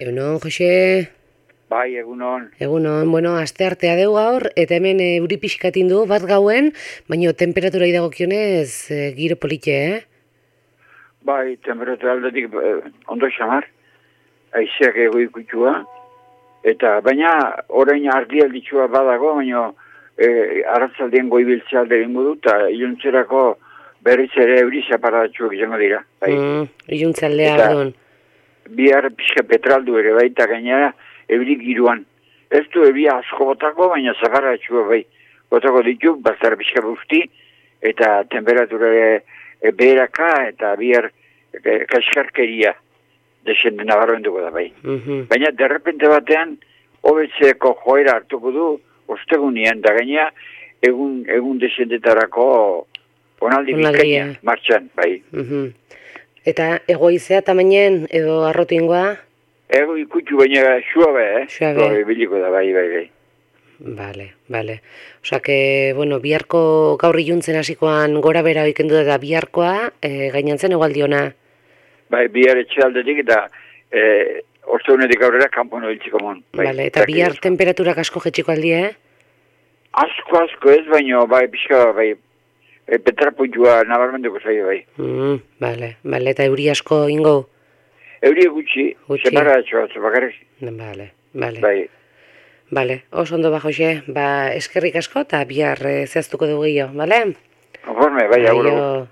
Egunon, Jose? Bai, egunon. Egunon, bueno, asteartea deu gaur, eta hemen euri pixkatin du bat gauen, baina temperatura idagokionez giro politxe, Bai, temperatura aldetik ondo xamar, aizeak ego ikutua, eta baina orain ardialditxua badago, baina arratzaldien goibiltzea alde gingo du, eta iluntzerako berriz ere euri zaparatxuak izango dira. Bai. Iluntzaldea, perdon. Bihar pixka petraldu ere bai, eta gainera euri giruan. Ez du euri asko botako, baina zaparatxua bai. Botako ditu, bazara pixka busti, eta temperatura beheraka, eta bihar kaskarkeria desenden nabarmenduko da bai. Baina derrepente batean, hobetzeko joera hartuko du, ostegunean, da gaina, egun desendetarako onaldi bizkaina, martxan, bai. Eta egoizea tamainen edo arrotingoa? Ego ikutu baina suabe, Suabe. Biliko da, bai. Vale. Osa que, bueno, biharko gaur iluntzen hasikoan gora bera oikendu da biharkoa, gainantzen egualdiona? Bai, bihar etxaldetik eta ostegunetik aurrera kanpon oiltziko mon. Vale, eta bihar temperaturak asko jetxiko aldie, Asko ez, baina bai, pixka, bai, petraputua nabarmenduko zaio, bai. Vale, eta euri asko ingo? Euri gutxi, separatxoa, bakarrik. Vale. Bai. Oso ondo ba, Jose, eskerrik asko eta bihar zehaztuko dugu gehiago, bale? Konforme, bai, aguro.